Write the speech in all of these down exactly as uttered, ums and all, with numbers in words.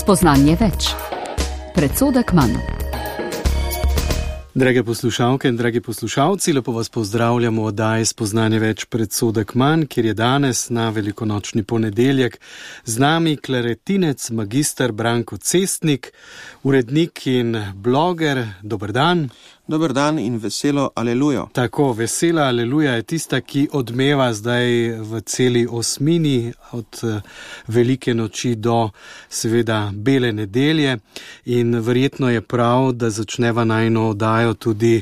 Spoznanje več. Predsodek manj. Drage poslušalke in dragi poslušalci, lepo vas pozdravljamo v oddaji Spoznanje več, predsodek manj, kjer je danes na velikonočni ponedeljek z nami klaretinec magister Branko Cestnik, urednik in bloger. Dober dan. Dober dan in veselo alelujo. Tako, vesela aleluja je tista, ki odmeva zdaj v celi osmini od velike noči do seveda bele nedelje in verjetno je prav, da začneva najino oddajo tudi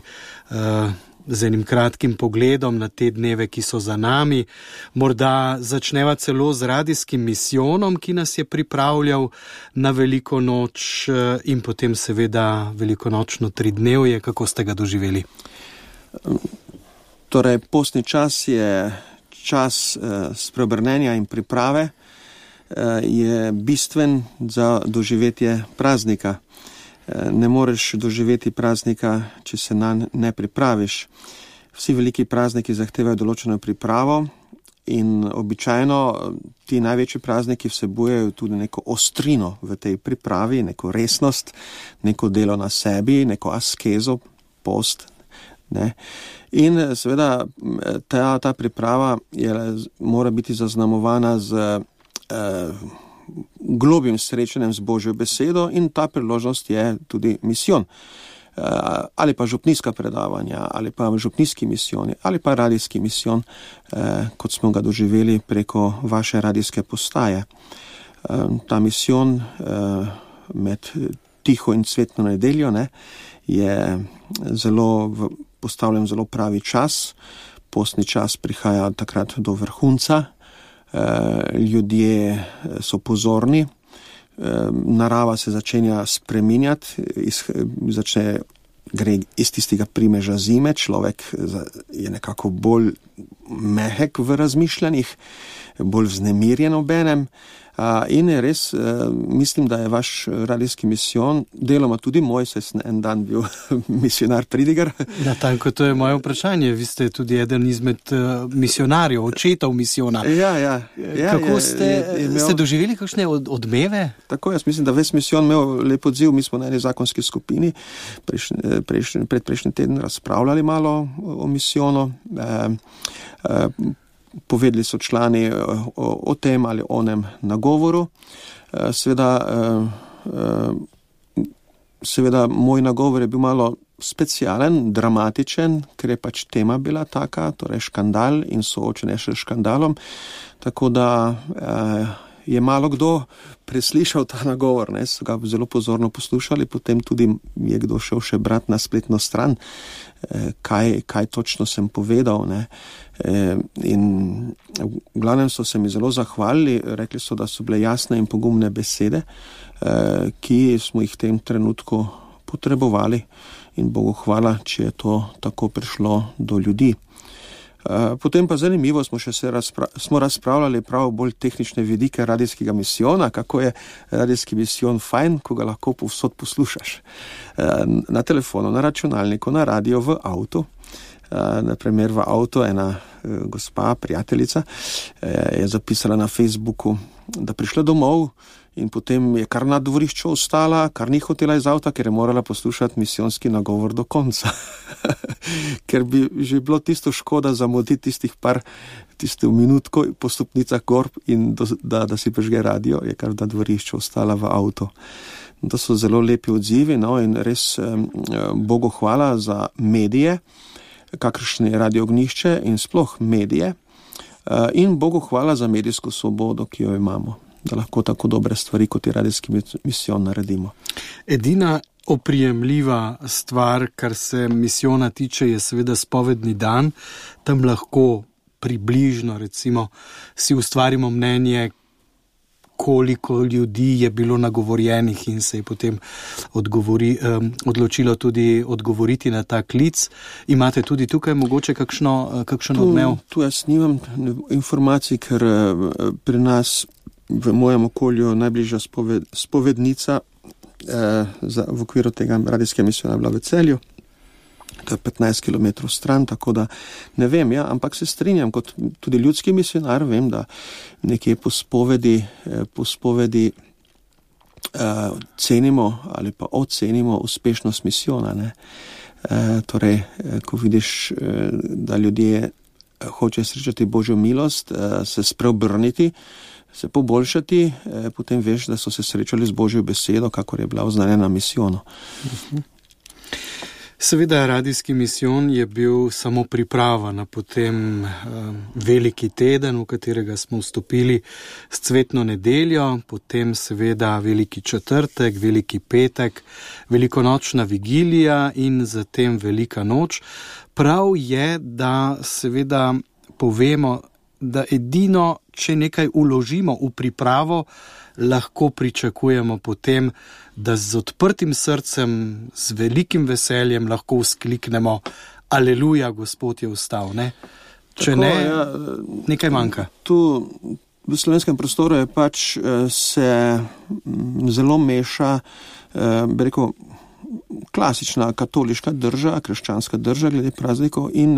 uh, z enim kratkim pogledom na te dneve, ki so za nami. Morda začneva celo z radijskim misijonom, ki nas je pripravljal na veliko noč in potem seveda velikonočno tridnevje. Kako ste ga doživeli? Torej, postni čas je čas eh, spreobrnenja in priprave, eh, je bistven za doživetje praznika. Ne moreš doživeti praznika, če se nanj ne pripraviš. Vsi veliki prazniki zahtevajo določeno pripravo in običajno ti največji prazniki vsebujejo tudi neko ostrino v tej pripravi, neko resnost, neko delo na sebi, neko askezo, post. Ne? In seveda ta, ta priprava je, mora biti zaznamovana z eh, globim srečanjem z Božjo besedo in ta priložnost je tudi misijon. Ali pa župnijska predavanja, ali pa župnijski misijoni, ali pa radijski misijon, kot smo ga doživeli preko vaše radijske postaje. Ta misijon med tiho in cvetno nedeljo ne, je zelo postavljen zelo pravi čas. Postni čas prihaja takrat do vrhunca. Ljudje so pozorni, narava se začenja spreminjati, začne gre iz tistega primeža zime, človek je nekako bolj mehek v razmišljanjih, bolj vznemirjen obenem. In res mislim, da je vaš radijski misijon, deloma tudi moj, saj sem en dan bil misionar pridigar. Natanko, to je moje vprašanje. Vi ste tudi eden izmed misionarjev, očetov misijona. Ja, ja. ja Kako je, ste, je, je imel... ste doživeli kakšne od, odmeve? Tako, jaz mislim, da ves misijon imel lep odziv. Mi smo na eni zakonski skupini prejšnji, prejšnji, predprejšnji teden razpravljali malo o misijonu. E, e, Povedali so člani o, o tem ali onem nagovoru. Seveda, seveda moj nagovor je bil malo specialen, dramatičen, ker je pač tema bila taka, torej škandal in soočenje s škandalom. Tako da je malo kdo preslišal ta nagovor, ne, so ga zelo pozorno poslušali, potem tudi je kdo šel še brat na spletno stran, kaj, kaj točno sem povedal, ne. In v glavnem so se mi zelo zahvalili, rekli so, da so bile jasne in pogumne besede, ki smo jih v tem trenutku potrebovali in Bogu hvala, če je to tako prišlo do ljudi. Potem pa zanimivo smo še se razpra- smo razpravljali prav bolj tehnične vidike radijskega misijona, kako je radijski misijon fajn, ko ga lahko povsod poslušaš. Na telefonu, na računalniku, na radio, v avtu. Naprimer v avtu ena gospa, prijateljica, je zapisala na Facebooku, da prišla domov in potem je kar na dvorišču ostala, kar ni hotela iz avta, ker je morala poslušati misijonski nagovor do konca. Ker bi že bilo tisto škoda zamuditi tistih par, tisto minutko po stopnicah gor in do, da, da si prižge radio, je kar na dvorišču ostala v avtu. To so zelo lepi odzivi, no, in res eh, Bogu hvala za medije, kakršne je Radio Ognjišče in sploh medije, eh, in Bogu hvala za medijsko svobodo, ki jo imamo, da lahko tako dobre stvari, kot je radijski misijon, naredimo. Edina oprijemljiva stvar, kar se misijona tiče, je seveda spovedni dan. Tam lahko približno, recimo, si ustvarimo mnenje, koliko ljudi je bilo nagovorjenih in se je potem odgovori, um, odločilo tudi odgovoriti na ta klic. Imate tudi tukaj mogoče kakšno, kakšen odmev? Tu, tu jaz nimam informacij, ker pri nas v mojem okolju najbližja spoved, spovednica eh, za, v okviru tega radijskega misijona bila v Celju. To je petnajst kilometrov stran, tako da ne vem, ja, ampak se strinjam, kot tudi ljudski misionar, vem, da nekje po spovedi, po spovedi uh, cenimo ali pa ocenimo uspešnost misijona. Ne? Uh, torej, ko vidiš, uh, da ljudje hoče srečati Božjo milost, uh, se spreobrniti, se poboljšati, uh, potem veš, da so se srečali z Božjo besedo, kakor je bila oznanjena misijonu. Uh-huh. Seveda, radijski misijon je bil samo priprava na potem eh, veliki teden, v katerega smo vstopili s cvetno nedeljo, potem seveda veliki četrtek, veliki petek, velikonočna vigilija in zatem velika noč. Prav je, da seveda povemo, da edino, če nekaj uložimo v pripravo, lahko pričakujemo potem, da z odprtim srcem, z velikim veseljem lahko vzkliknemo Aleluja, Gospod je vstal, ne? Če Tako, ne, ja, nekaj manjka. Tu v slovenskem prostoru je pač se zelo meša, bi rekel, klasična katoliška drža, krščanska drža glede praznikov in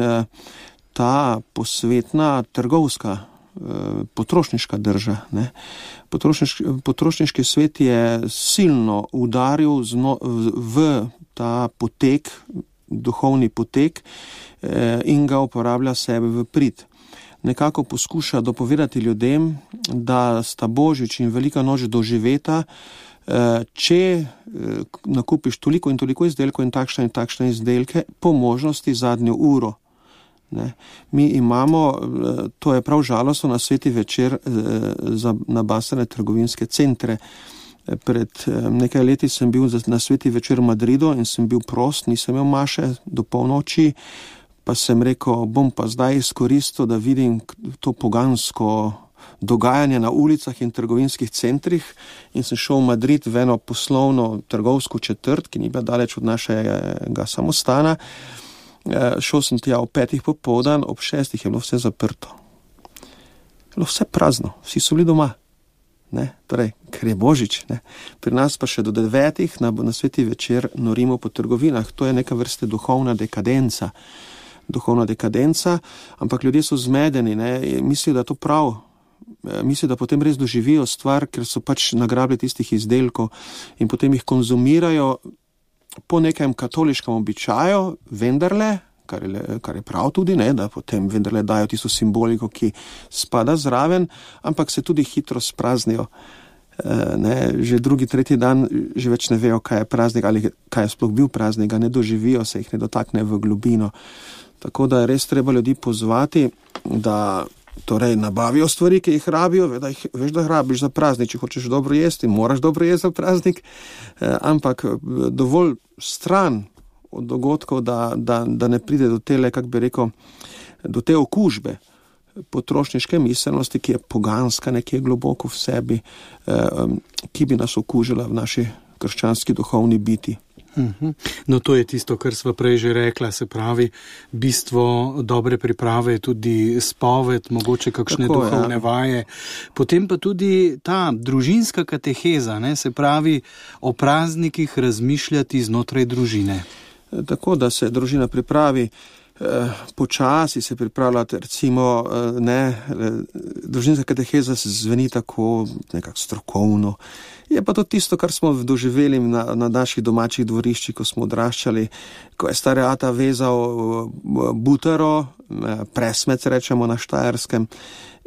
ta posvetna trgovska potrošniška drža. Ne. Potrošniški, potrošniški svet je silno udaril zno, v ta potek, duhovni potek eh, in ga uporablja sebe v prid. Nekako poskuša dopovedati ljudem, da sta Božič in Velika noč doživeta, eh, če eh, nakupiš toliko in toliko izdelkov in takšne in takšne izdelke, po možnosti zadnjo uro. Ne. Mi imamo, to je prav žalostno, na sveti večer za nabasane trgovinske centre. Pred nekaj leti sem bil na sveti večer v Madridu in sem bil prost, nisem imel maše do polnoči, pa sem rekel, bom pa zdaj izkoristil, da vidim to pogansko dogajanje na ulicah in trgovinskih centrih in sem šel v Madrid v eno poslovno trgovsko četrt, ki ni bila daleč od našega samostana. Šel sem tja ob petih popoldan, ob šestih je bilo vse zaprto. Bilo vse prazno, vsi so bili doma. Ne? Torej, ker je Božič. Ne? Pri nas pa še do devetih na, na sveti večer norimo po trgovinah. To je neka vrste duhovna dekadenca. Duhovna dekadenca, ampak ljudje so zmedeni, ne? Mislijo, da to prav. Mislijo, da potem res doživijo stvar, ker so pač nagrabili tistih izdelkov in potem jih konzumirajo po nekem katoliškem običaju, vendarle, kar je, kar je prav tudi, ne, da potem vendarle dajo tisto simboliko, ki spada zraven, ampak se tudi hitro spraznijo. E, ne, že drugi, tretji dan že več ne vejo, kaj je praznik ali kaj je sploh bil praznik, ne doživijo se, jih ne dotakne v globino. Tako da je res treba ljudi pozvati, da torej nabavijo stvari, ki jih rabijo, da jih, veš, da rabiš za praznik, če hočeš dobro jesti, moraš dobro jesti za praznik, eh, ampak dovolj stran od dogodkov, da, da, da ne pride do tele, kak bi rekel, do te okužbe potrošniške miselnosti, ki je poganska nekje globoko v sebi, eh, ki bi nas okužila v naši krščanski duhovni biti. No, to je tisto, kar sva prej že rekla, se pravi, bistvo dobre priprave je tudi spoved, mogoče kakšne Tako, duhovne ja. vaje, potem pa tudi ta družinska kateheza, ne, se pravi, o praznikih razmišljati znotraj družine. Tako, da se družina pripravi, eh, počasi se pripravljati, recimo, eh, ne, družinska kateheza se zveni tako nekako strokovno. Je pa to tisto, kar smo doživeli na, na naših domačih dvoriščih, ko smo odraščali, ko je stari ata vezal butaro, presmec rečemo na Štajerskem,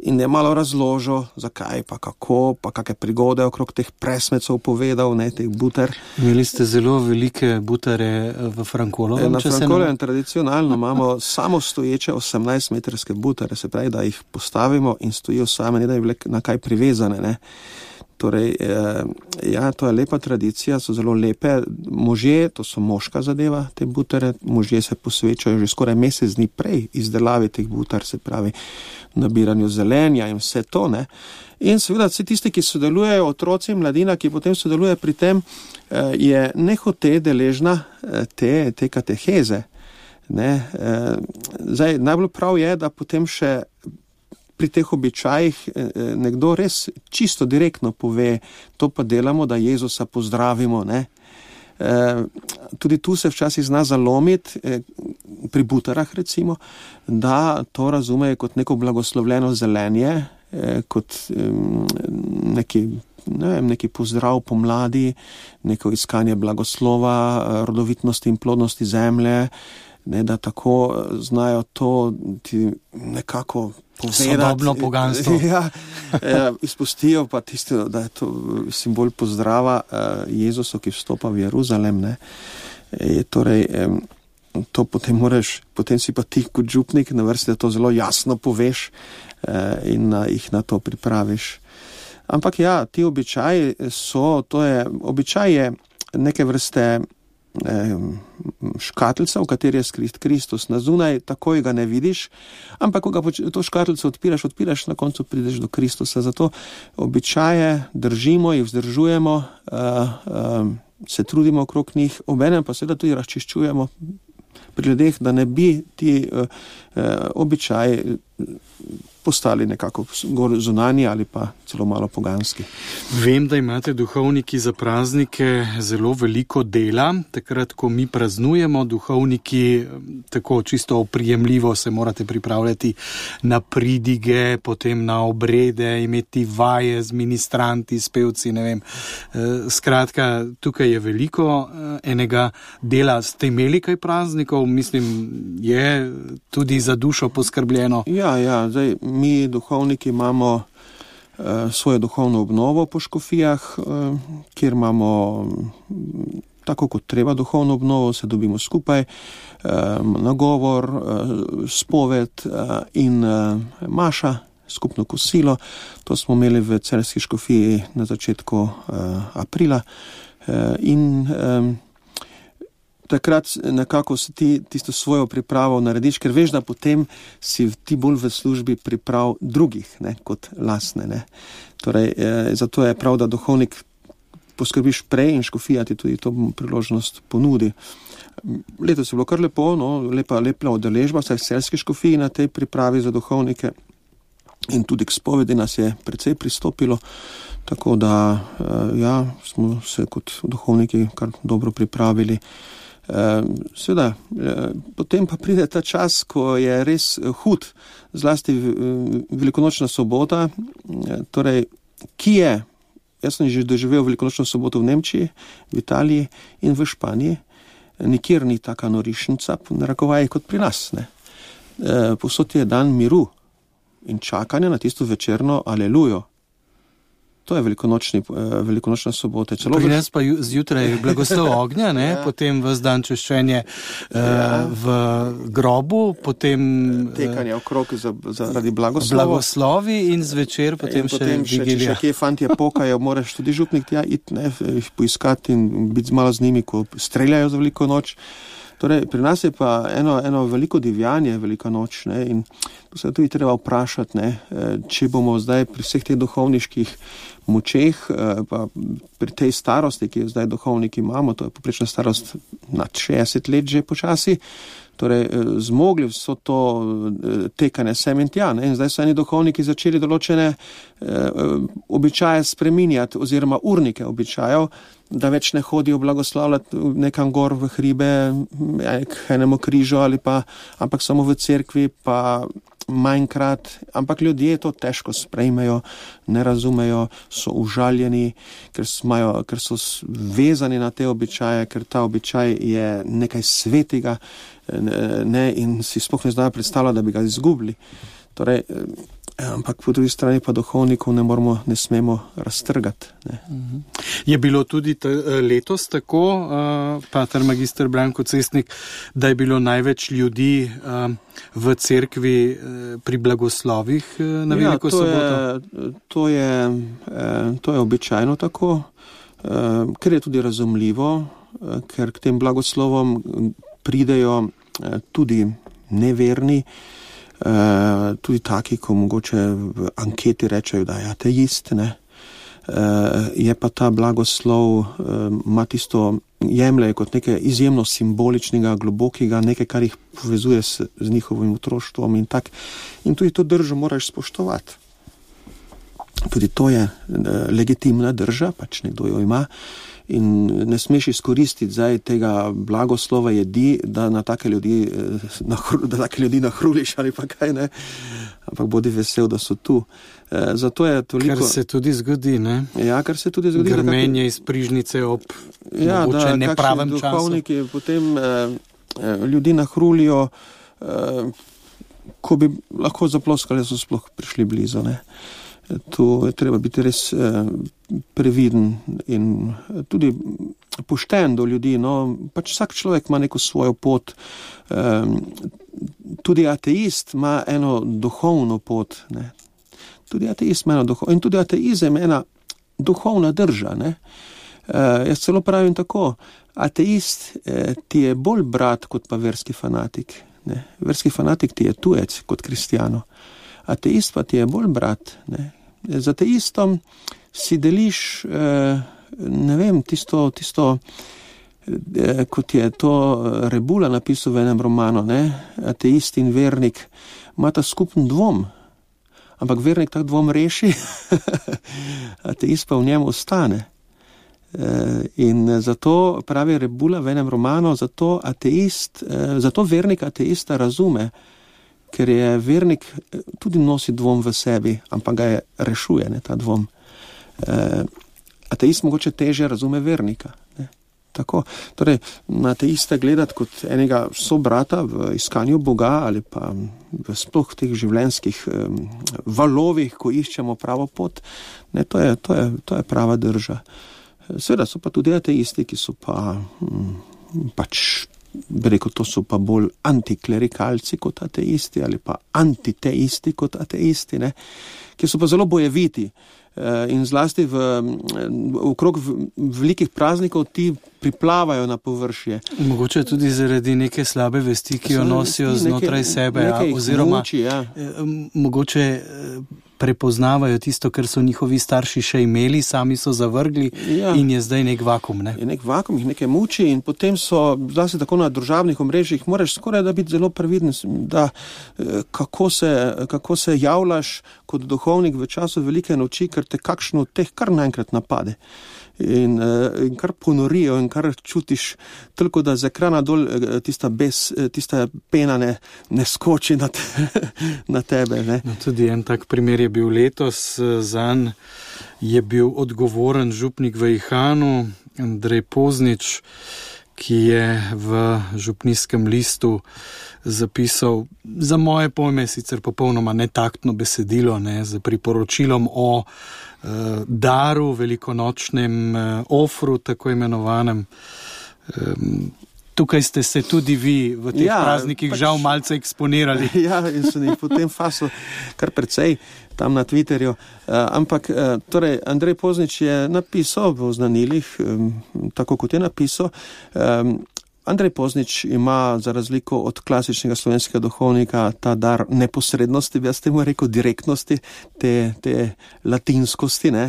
in je malo razložil, zakaj, pa kako, pa kakšne prigode okrog teh presmecov povedal, ne, teh butar. Imeli ste zelo velike butare v Frankolovem? Na Frankolovem ne... tradicionalno imamo samo stoječe osemnajstmetrske butare, se pravi, da jih postavimo in stojijo same, ne da je bile na kaj privezane, ne. Torej, ja, to je lepa tradicija, so zelo lepe. Možje, to so moška zadeva, te butere, možje se posvečajo že skoraj mesec dni prej izdelavi teh butar, se pravi, nabiranju zelenja in vse to, ne. In seveda, vsi tisti, ki sodelujejo, otroci, mladina, ki potem sodeluje pri tem, je nehote deležna te, te kateheze, ne. Zdaj, najbolj prav je, da potem še pri teh običajih nekdo res čisto direktno pove, to pa delamo, da Jezusa pozdravimo, ne. Tudi tu se včasih zna zalomiti, pri butarah recimo, da to razumejo kot neko blagoslovljeno zelenje, kot neki ne vem, neki pozdrav pomladi, neko iskanje blagoslova, rodovitnosti in plodnosti zemlje, ne, da tako znajo to ti nekako povedati. Sodobno poganstvo. Ja, ja, izpustijo pa tisto, da je to simbol pozdrava Jezusu, ki vstopa v Jeruzalem, ne. E, torej, to potem moraš, potem si pa ti kot župnik na vrsti, da to zelo jasno poveš in na, jih na to pripraviš. Ampak ja, ti običaji so, to je, običaj je neke vrste škatlica, v kateri je skrit Kristus. Na zunaj takoj ga ne vidiš, ampak ko ga to škatlico odpiraš, odpiraš, na koncu prideš do Kristusa. Zato običaje držimo, jih vzdržujemo, se trudimo okrog njih, obenem pa seveda tudi razčiščujemo pri ljudeh, da ne bi ti običaji postali nekako zunanji ali pa celo malo poganski. Vem, da imate duhovniki za praznike zelo veliko dela. Takrat, ko mi praznujemo, duhovniki tako čisto oprijemljivo se morate pripravljati na pridige, potem na obrede, imeti vaje z ministranti, s pevci, ne vem. Skratka, tukaj je veliko enega dela. Ste imeli kaj praznikov? Mislim, je tudi za dušo poskrbljeno. Ja, ja, zdaj mi duhovniki imamo uh, svojo duhovno obnovo po škofijah, uh, kjer imamo tako kot treba duhovno obnovo, se dobimo skupaj, uh, nagovor, uh, spoved uh, in uh, maša, skupno kosilo. To smo imeli v Celjski škofiji na začetku uh, aprila uh, in um, takrat nekako si ti tisto svojo pripravo narediš, ker veš, da potem si ti bolj v službi priprav drugih, ne, kot lastne, ne. Torej, eh, zato je prav, da duhovnik poskrbiš prej in škofija ti tudi to priložnost ponudi. Letos je bilo kar lepo, no, lepa, lepa udeležba, vsaj v Celjski škofiji na tej pripravi za duhovnike in tudi k spovedi nas je precej pristopilo, tako da, eh, ja, smo se kot duhovniki kar dobro pripravili. Seveda, potem pa pride ta čas, ko je res hud, zlasti velikonočna sobota, torej, ki je, jaz sem že doživel velikonočno soboto v Nemčiji, v Italiji in v Španiji, nikjer ni taka norišnica, narekovaj kot pri nas, ne. Povsod je dan miru in čakanja na tisto večerno alelujo. To je velikonočni, velikonočna sobota. Celo pri nas pa zjutraj blagoslov ognja, ne? Ja. Potem ves dan češčenje ja. v grobu, potem tekanje okrog za, zaradi blagoslova. Blagoslovi in zvečer potem, in potem še vigilija. Če še kje fantje pokajo, moraš tudi župnik tja iti, ne, jih poiskati in biti malo z njimi, ko streljajo za veliko noč. Torej, pri nas je pa eno, eno veliko divjanje, velika noč, ne, in to se tudi treba vprašati, ne, če bomo zdaj pri vseh teh duhovniških močeh, pa pri tej starosti, ki jo zdaj duhovniki imamo, to je poprečna starost nad šestdeset let že počasi, torej zmogli so to tekanje sem in tja, ne, in zdaj so eni duhovniki začeli določene eh, običaje spreminjati oziroma urnike običajev, da več ne hodijo blagoslavljati nekam gor v hribe, k enemu križu ali pa, ampak samo v cerkvi, pa manjkrat, ampak ljudje to težko sprejmejo, ne razumejo, so užaljeni, ker, smajo, ker so vezani na te običaje, ker ta običaj je nekaj svetega, ne, in si sploh ne znajo predstavljati, da bi ga izgubili. Torej, ampak po drugi strani pa duhovnikov ne moramo, ne smemo raztrgati. Ne. Je bilo tudi t- letos tako, uh, pater magister Branko Cestnik, da je bilo največ ljudi uh, v cerkvi uh, pri blagoslovih uh, na ja, veliko to soboto? Je, to, je, eh, to je običajno tako, eh, ker je tudi razumljivo, eh, ker k tem blagoslovom pridejo eh, tudi neverni, Uh, tudi taki, ko mogoče v anketi rečejo, da je ateist, ne. Uh, je pa ta blagoslov, ima uh, tisto, jemlje kot nekaj izjemno simboličnega, globokega, nekaj, kar jih povezuje s, z njihovim otroštvom in tak. In tudi to držo moraš spoštovati. Tudi to je uh, legitimna drža, pač nekdo jo ima in ne smeš izkoristiti zdaj tega blagoslova jedi, da na take ljudi, da take ljudi nahruliš ali pa kaj, ne, ampak bodi vesel, da so tu. Zato je toliko... Kar se tudi zgodi, ne? Ja, kar se tudi zgodi. Grmenje iz prižnice ob ja, mogoče nepravem času. Ja, da duhovniki potem eh, ljudi nahrulijo, eh, ko bi lahko zaploskali, so sploh prišli blizu, ne. Tu je treba biti res eh, previden in tudi pošten do ljudi, no, pač vsak človek ima neko svojo pot, eh, tudi ateist ima eno duhovno pot, ne. Tudi ateist ima eno duhovno, in tudi ateizem ena duhovna drža, ne. Eh, jaz celo pravim tako, ateist eh, ti je bolj brat kot pa verski fanatik, ne. Verski fanatik ti je tujec kot kristjano, ateist pa ti je bolj brat, ne. Z ateistom si deliš, eh, ne vem, tisto, tisto eh, kot je to Rebula napisal v enem romanu, ne, ateist in vernik imata skupen dvom, ampak vernik tak dvom reši, ateist pa v njem ostane. Eh, in zato pravi Rebula v enem romanu, zato ateist, eh, zato vernik ateista razume, ker je vernik tudi nosi dvom v sebi, ampak ga je rešuje, ne, ta dvom. E, ateist mogoče teže razume vernika. Ne. Tako. Torej, na ateista gledati kot enega sobrata v iskanju Boga ali pa v sploh teh življenjskih um, valovih, ko iščemo pravo pot, ne, to je, to je, to je prava drža. Seveda so pa tudi ateisti, ki so pa um, pač bi rekel, to so pa bolj antiklerikalci kot ateisti ali pa antiteisti kot ateisti, ne, ki so pa zelo bojeviti in zlasti v, okrog velikih praznikov ti priplavajo na površje. Mogoče tudi zaradi neke slabe vesti, ki jo nosijo znotraj sebe, ja, oziroma muči, ja. Mogoče prepoznavajo tisto, kar so njihovi starši še imeli, sami so zavrgli, ja. In je zdaj nek vakum, ne? Je nek vakum, jih nekaj muči in potem so, zlasti tako na družabnih omrežjih, moraš skoraj da biti zelo previden, da kako se, kako se javljaš kot duhovnik v času velike noči, ker te kakšno od teh kar naenkrat napade. In, in kar ponorijo in kar čutiš, toliko da z ekrana dol tista, bes, tista pena ne, ne skoči na, te, na tebe. Ne? No, tudi en tak primer je bil letos, zanj je bil odgovoren župnik v Ihanu, Andrej Poznič, ki je v župnijskem listu zapisal za moje pojme sicer popolnoma netaktno besedilo, ne, z priporočilom o uh, daru, velikonočnem uh, ofru, tako imenovanem. Um, tukaj ste se tudi vi v teh ja, praznikih pač, žal malce eksponirali. Ja, in so jih potem faso kar precej tam na Twitterju. Uh, ampak, uh, torej, Andrej Poznič je napisal v oznanilih, um, tako kot je napisal, um, Andrej Poznič ima za razliko od klasičnega slovenskega duhovnika ta dar neposrednosti, bi jaz temu rekel direktnosti, te, te latinskosti, ne,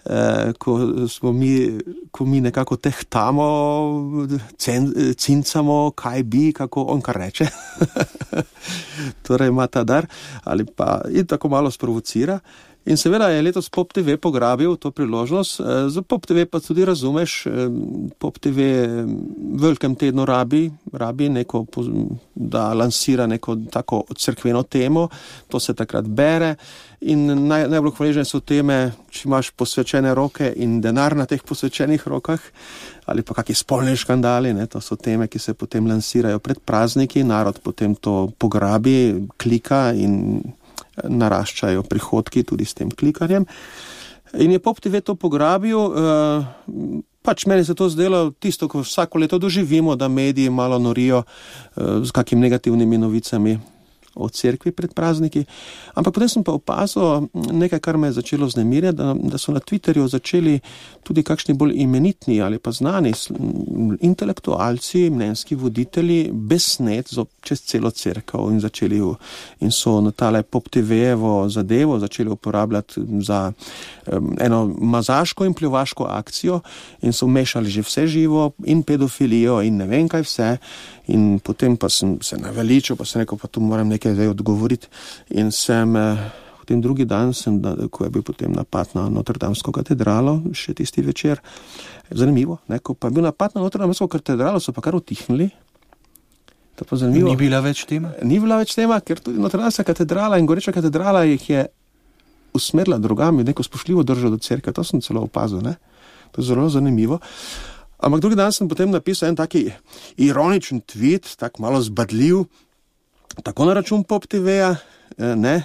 e, ko smo mi, ko mi nekako tehtamo, cen, cincamo, kaj bi, kako on kar reče. Torej ima ta dar, ali pa in tako malo sprovocira. In seveda je letos Pop T V pograbil to priložnost. Za Pop T V pa tudi razumeš, Pop T V v velikem tednu rabi, rabi neko, da lansira neko tako cerkveno temo, to se takrat bere in naj, najbolj hvaležne so teme, če imaš posvečene roke in denar na teh posvečenih rokah, ali pa kakšni spolni škandali, ne, to so teme, ki se potem lansirajo pred prazniki, narod potem to pograbi, klika in naraščajo prihodki tudi s tem klikanjem. In je Pop T V to pograbil, uh, pač meni se to zdelo tisto, ko vsako leto doživimo, da mediji malo norijo uh, z kakimi negativnimi novicami o cerkvi pred prazniki. Ampak potem sem pa opazil nekaj, kar me je začelo vznemirjati, da, da so na Twitterju začeli tudi kakšni bolj imenitni ali pa znani intelektualci, mnenjski voditelji besnet čez celo cerkev in začeli in so na tale Pop T V-evo zadevo začeli uporabljati za um, eno mazaško in pljuvaško akcijo in so mešali že vse živo in pedofilijo in ne vem kaj vse. In potem pa sem se naveličil, pa sem rekel, pa tu moram nekaj zdaj odgovoriti. In sem eh, v potem drugi dan, sem, ko je bil potem napad na Notre-Damsko katedralo, še tisti večer, zanimivo, ne, ko pa je bil napad na Notre-Damsko katedralo, so pa kar utihnili. To pa zanimivo. Ni bila več tema? Ni bila več tema, ker tudi Notre-Damska katedrala in Goreča katedrala jih je usmerila drugam in neko spoštljivo držo do cerkve. To sem celo opazil, ne. To je zelo zanimivo. Ampak drugi dan sem potem napisal en taki ironičen tweet, tak malo zbadljiv, tako na račun Pop T V-ja, ne,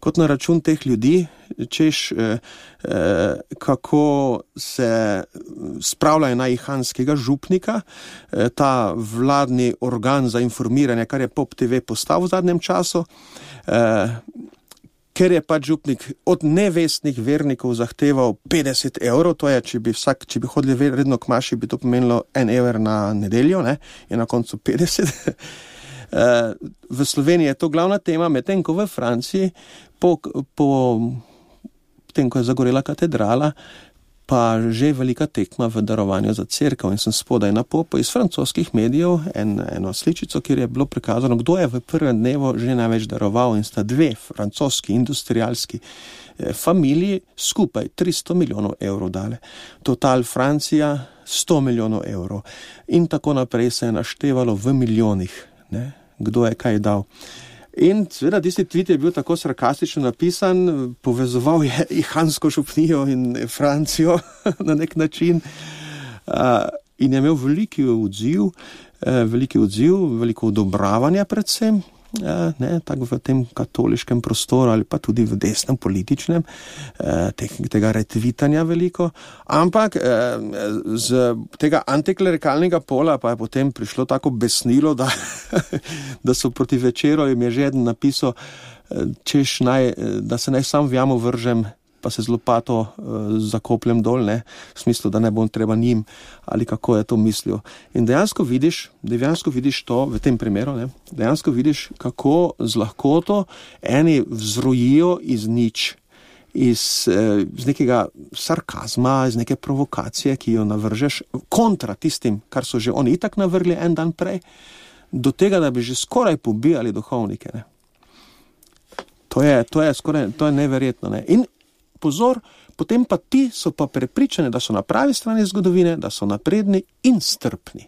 kot na račun teh ljudi, češ, eh, eh, kako se spravljajo na ihanskega župnika, eh, ta vladni organ za informiranje, kar je Pop T V postal v zadnjem času, eh, ker je pač župnik od nevestnih vernikov zahteval petdeset evrov, to je, če bi vsak, če bi hodili redno k maši, bi to pomenilo en evr na nedeljo, ne, in na koncu petdeset. V Sloveniji je to glavna tema, medtem ko v Franciji, po, po tem, ko je zagorela katedrala, pa že velika tekma v darovanju za cerkev. In sem spodaj na popu iz francoskih medijev en, eno sličico, kjer je bilo prikazano, kdo je v prvem dnevu že največ daroval, in sta dve francoski industrialski eh, familiji skupaj tristo milijonov evrov dale. Total Francija sto milijonov evrov. In tako naprej se je naštevalo v milijonih, ne, kdo je kaj dal. In seveda tisti tweet je bil tako sarkastično napisan, povezoval je ihansko župnijo in Francijo na nek način, uh, in je imel veliki odziv, uh, veliki odziv, veliko odobravanja predvsem, uh, ne, tako v tem katoliškem prostoru ali pa tudi v desnem političnem, uh, te, tega retvitanja veliko, ampak uh, z tega antiklerikalnega pola pa je potem prišlo tako besnilo, da da so proti večeru jim je že eden napisal, češ naj, da se naj sam v jamo vržem, pa se z lopato uh, zakopljem dol, ne, v smislu, da ne bom treba njim, ali kako je to mislil. In dejansko vidiš, dejansko vidiš to v tem primeru, ne, dejansko vidiš, kako z lahkoto eni vzrojijo iz nič, iz, eh, iz nekega sarkazma, iz neke provokacije, ki jo navržeš kontra tistim, kar so že oni itak navrgli en dan prej, do tega, da bi že skoraj pobijali duhovnike. Ne. To je, to je skoraj, to je neverjetno. Ne. In pozor, potem pa ti so pa prepričani, da so na pravi strani zgodovine, da so napredni in strpni.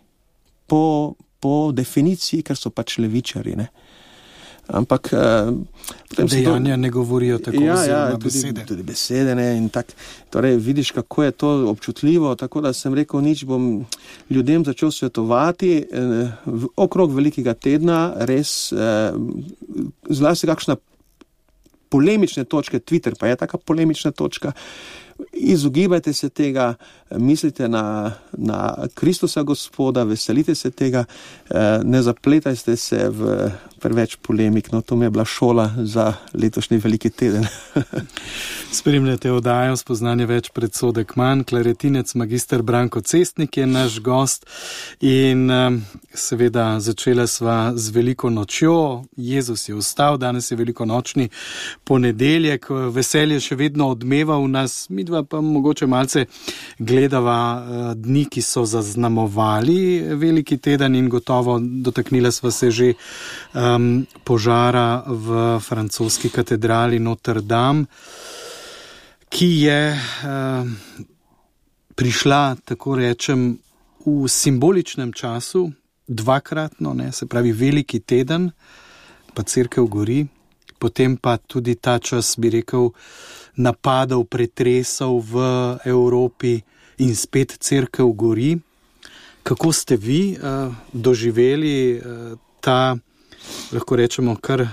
Po, po definiciji, ker so pač levičari, ne. Ampak eh, dejanja to ne govorijo tako, ja, ja, tudi besede. Tudi besede, ne, in tak, torej vidiš, kako je to občutljivo, tako da sem rekel, nič bom ljudem začel svetovati eh, v, okrog velikega tedna, res eh, zlasti kakšna polemične točke, Twitter pa je taka polemična točka, izogibajte se tega, mislite na, na Kristusa Gospoda, veselite se tega, ne zapletajte se v preveč polemik. No, to mi je bila šola za letošnji veliki teden. Spremljate oddajo Spoznanje več, predsodek manj. Klaretinec magister Branko Cestnik je naš gost in seveda začela sva z veliko nočjo. Jezus je vstal, danes je veliko nočni ponedeljek, veselje še vedno odmeva v nas, midva pa mogoče malce gledava dni, ki so zaznamovali veliki teden in gotovo dotaknila sva se že um, požara v francoski katedrali Notre-Dame, ki je uh, prišla, tako rečem, v simboličnem času, dvakratno, ne, se pravi veliki teden, pa cerkev gori, potem pa tudi ta čas, bi rekel, napadov, pretresov v Evropi in spet cerkev gori. Kako ste vi uh, doživeli uh, ta, lahko rečemo, kar uh,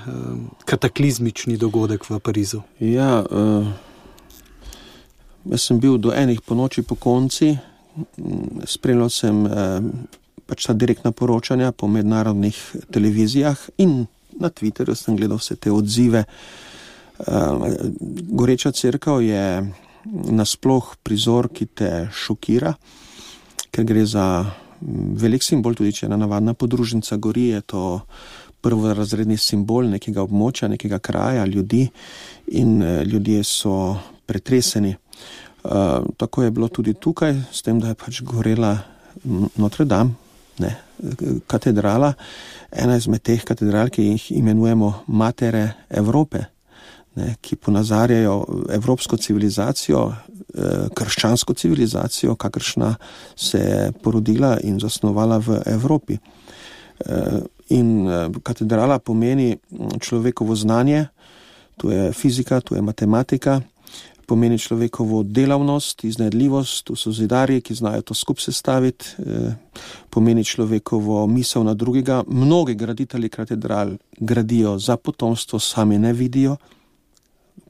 kataklizmični dogodek v Parizu? Ja, uh, jaz sem bil do enih po noči po konci, spremljal sem uh, pač ta direktna poročanja po mednarodnih televizijah in na Twitterju sem gledal vse te odzive. Uh, goreča cerkev je nasploh prizor, ki te šokira, ker gre za velik simbol, tudi če ena navadna podružnica gori, je to prvorazredni simbol nekega območja, nekega kraja, ljudi in uh, ljudje so pretreseni. Uh, tako je bilo tudi tukaj, s tem, da je pač gorela Notre-Dame, ne, katedrala, ena izmed teh katedral, ki jih imenujemo Matere Evrope. ne, ki ponazarjajo evropsko civilizacijo, krščansko civilizacijo, kakršna se je porodila in zasnovala v Evropi. In katedrala pomeni človekovo znanje, to je fizika, to je matematika, pomeni človekovo delavnost, iznajdljivost, to so zidarji, ki znajo to skup sestaviti, pomeni človekovo misel na drugega. Mnogi graditelji katedral gradijo za potomstvo, sami ne vidijo.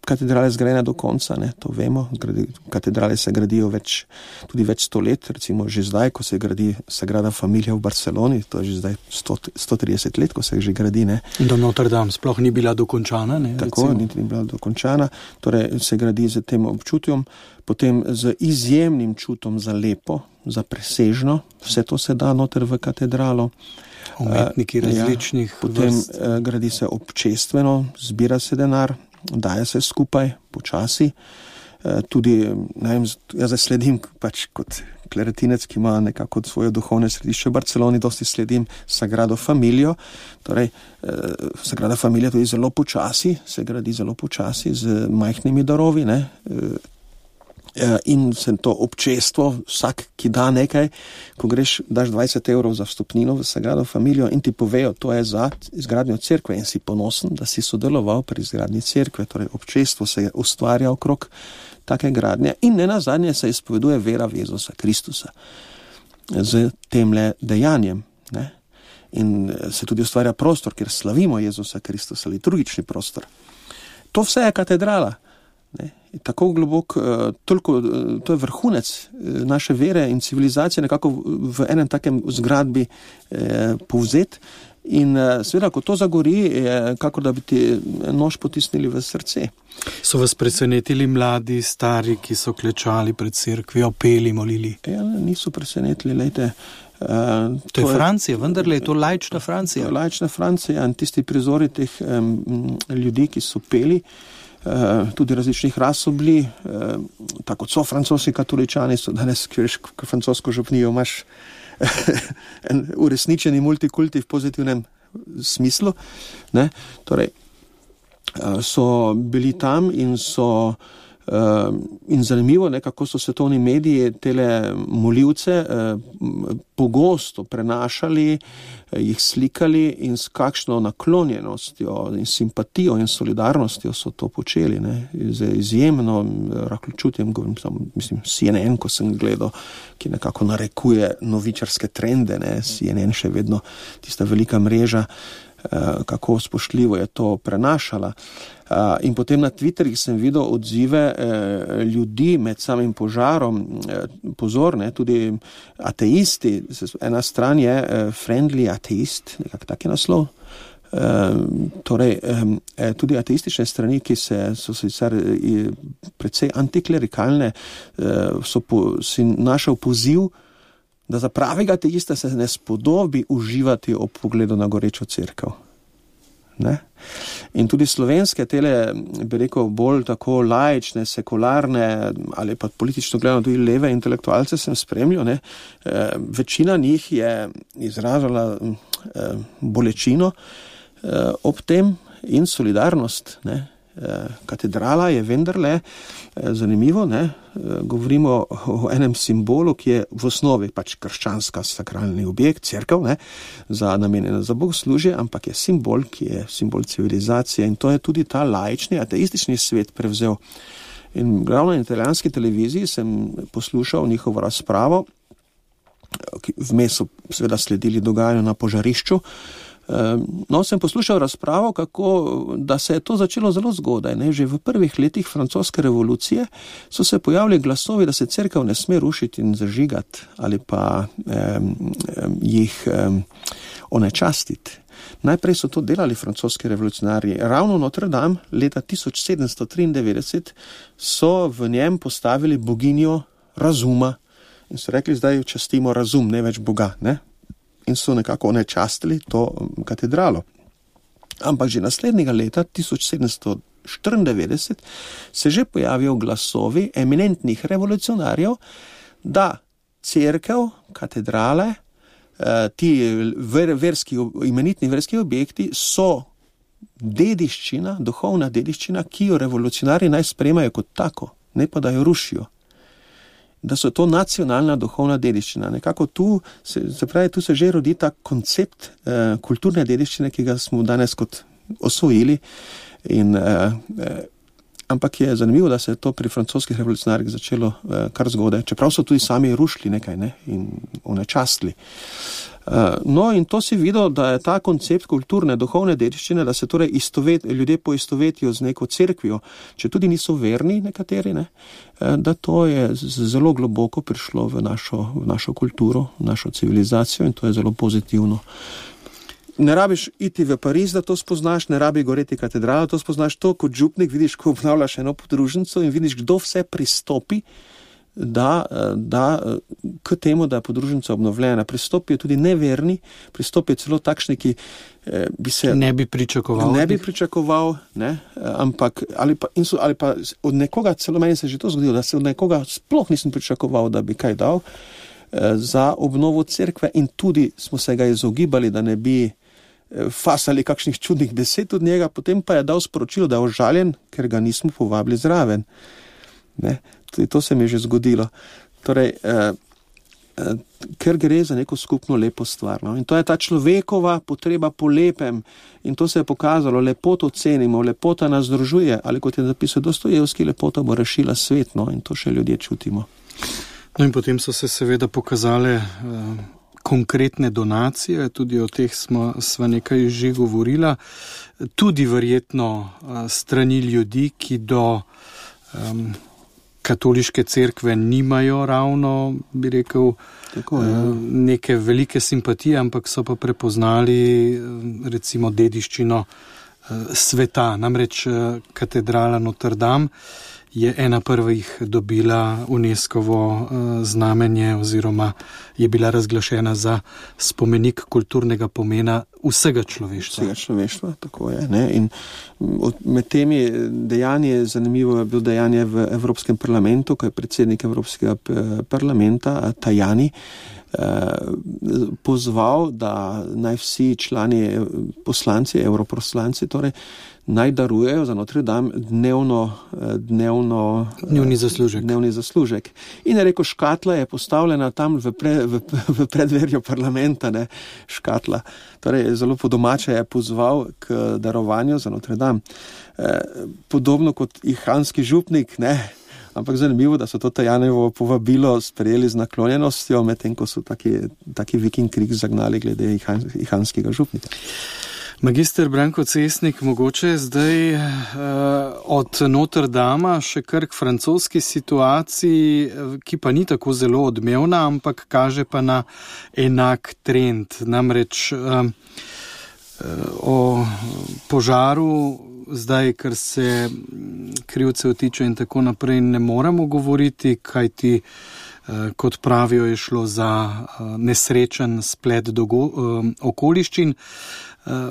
Katedrale zgrajene do konca, ne, to vemo. Katedrale se gradijo več, tudi več sto let, recimo že zdaj, ko se gradi Sagrada Familia v Barceloni, to je že zdaj sto trideset let, ko se že gradi. Ne. Do Notre Dame sploh ni bila dokončana. Ne, Tako, niti ni bila dokončana, torej se gradi z tem občutjem, potem z izjemnim čutom za lepo, za presežno, vse to se da noter v katedralo. Umetniki različnih ja, potem vrst. Gradi se občestveno, zbira se denar, daje se skupaj, počasi. Tudi, ne vem, jaz sledim pač kot kleretinec, ki ima nekako svoje duhovne središče v Barceloni, dosti sledim Sagrado Familio. Torej, Sagrada Familia tudi zelo počasi, se gradi zelo počasi z majhnimi darovi, ne. In se to občestvo, vsak, ki da nekaj, ko greš, daš dvajset evrov za vstopnino v Sagrado Familio in ti povejo, to je za izgradnjo cerkve in si ponosen, da si sodeloval pri izgradnji cerkve. Torej, občestvo se ustvarja okrog take gradnje in nenazadnje se izpoveduje vera v Jezusa Kristusa z temle dejanjem. Ne? In se tudi ustvarja prostor, kjer slavimo Jezusa Kristusa, liturgični prostor. To vse je katedrala. Ne, tako globok, toliko, to je vrhunec naše vere in civilizacije nekako v enem takem zgradbi eh, povzet in seveda, ko to zagori, je kako da bi ti nož potisnili v srce. So vas presenetili mladi, stari, ki so klečali pred cerkvijo, peli, molili? Ja, niso presenetili, lejte. Uh, to, to je Francija, vendarle je to laična Francija. Laična Francija in tisti prizori teh um, ljudi, ki so peli, Uh, tudi različnih ras so bili, uh, tako so francoski katoličani, so danes, ki veš, ko francosko župnijo, imaš en uresničeni multikulti v pozitivnem smislu. Ne? Torej, uh, so bili tam in so uh, in zanimivo, ne, kako so svetovni mediji tele molivce uh, pogosto prenašali, jih slikali in s kakšno naklonjenostjo in simpatijo in solidarnostjo so to počeli, ne, z izjemno rahločutjem, mislim, C N N, ko sem gledal, ki nekako narekuje novičarske trende, ne, C N N še vedno tista velika mreža, kako spoštljivo je to prenašala. In potem na Twitterih sem videl odzive ljudi med samim požarom, pozor, ne, tudi ateisti, ena stran je friendly ateist, nekak tak je naslov, torej tudi ateistične strani, ki se, so sicer precej antiklerikalne, so po, si našel poziv, da za pravega ateista se ne spodobi uživati ob pogledu na gorečo cerkev. Ne? In tudi slovenske tele, bi rekel, bolj tako laične, sekularne ali pa politično gledano tudi leve intelektualce sem spremljal, ne? E, večina njih je izražala e, bolečino e, ob tem in solidarnost, ne? Katedrala je vendarle zanimivo, ne? Govorimo o enem simbolu, ki je v osnovi pač krščanska sakralni objekt, cerkev, ne? Za namenjena za bogoslužje, ampak je simbol, ki je simbol civilizacije in to je tudi ta laični, ateistični svet prevzel. In ravno na italijanski televiziji sem poslušal njihovo razpravo, vmes so seveda sledili dogajanju na požarišču. No, sem poslušal razpravo, kako, da se je to začelo zelo zgodaj. Ne? Že v prvih letih francoske revolucije so se pojavili glasovi, da se cerkev ne sme rušiti in zažigati ali pa um, um, jih um, onečastiti. Najprej so to delali francoski revolucionarji. Ravno Notre Dame leta tisoč sedemsto triindevetdeset so v njem postavili boginjo razuma in so rekli, zdaj častimo razum, ne več Boga, ne? In so nekako onečastili to katedralo. Ampak že naslednjega leta, tisoč sedemsto štiriindevetdeset, se že pojavijo glasovi eminentnih revolucionarjev, da cerkev, katedrale, ti ver, verski, imenitni verski objekti so dediščina, duhovna dediščina, ki jo revolucionarji naj sprejemajo kot tako, ne pa da jo rušijo. Da so to nacionalna duhovna dediščina. Nekako tu se, se pravi, tu se že rodi ta koncept eh, kulturne dediščine, ki ga smo danes kot osvojili. In, eh, eh, ampak je zanimivo, da se je to pri francoskih revolucionarjih začelo eh, kar zgodaj, čeprav so tudi sami rušili nekaj, ne, in onečastili. Uh, no, in to si videl, da je ta koncept kulturne, duhovne dediščine, da se torej istovet, ljudje poistovetijo z neko cerkvijo, če tudi niso verni nekateri, ne, da to je zelo globoko prišlo v našo, v našo kulturo, v našo civilizacijo in to je zelo pozitivno. Ne rabiš iti v Pariz, da to spoznaš, ne rabi goreti katedrala, to spoznaš to, kot župnik vidiš, ko obnavljaš eno podružnico in vidiš, kdo vse pristopi, Da, da k temu, da je podružnica obnovljena. Pristopijo tudi neverni, pristopijo celo takšni, ki eh, bi se ne bi pričakoval, ne bi pričakoval ne, ampak ali pa, so, ali pa od nekoga, celo meni se je že to zgodilo, da se od nekoga sploh nisem pričakoval, da bi kaj dal eh, za obnovo cerkve in tudi smo se ga izogibali, da ne bi eh, fasali kakšnih čudnih besed od njega, potem pa je dal sporočilo, da je ožaljen, ker ga nismo povabili zraven. Ne. Tudi to se mi je že zgodilo. Torej, eh, eh, ker gre za neko skupno lepo stvar. No? In to je ta človekova potreba po lepem. In to se je pokazalo, lepoto cenimo, lepota nas združuje, ali kot je zapisal Dostojevski, lepota bo rešila svet. No? In to še ljudje čutimo. No in potem so se seveda pokazale eh, konkretne donacije, tudi o teh smo sva nekaj že govorila, tudi verjetno eh, strani ljudi, ki do eh, katoliške cerkve nimajo ravno, bi rekel, tako, neke velike simpatije, ampak so pa prepoznali recimo dediščino sveta. Namreč katedrala Notre Dame je ena prvih dobila UNESCOvo znamenje oziroma je bila razglašena za spomenik kulturnega pomena vsega človeštva. Vsega človeštva, tako je. Ne? In med temi dejanji je zanimivo je bilo dejanje v Evropskem parlamentu, ko je predsednik Evropskega parlamenta Tajani pozval, da naj vsi člani poslanci, europoslanci, torej naj darujejo za Notre Dame dnevno, dnevno dnevni zaslužek. Dnevni zaslužek. In je rekel, škatla je postavljena tam v, pre, v, v predverju parlamenta, ne, škatla. Torej, zelo po domače je pozval k darovanju za Notre Dame. Eh, podobno kot ihanski župnik, ne, ampak zanimivo, da so to Tajanevo povabilo sprejeli z naklonjenostjo, medtem ko so taki, taki viking krik zagnali glede ihan, ihanskega župnika. Magister Branko Cesnik, mogoče zdaj uh, od Notre Dama še kar k francoski situaciji, ki pa ni tako zelo odmevna, ampak kaže pa na enak trend. Namreč uh, o požaru zdaj, kar se krivcev tiče in tako naprej, ne moremo govoriti, kajti uh, kot pravijo, je šlo za uh, nesrečen splet dogo- uh, okoliščin.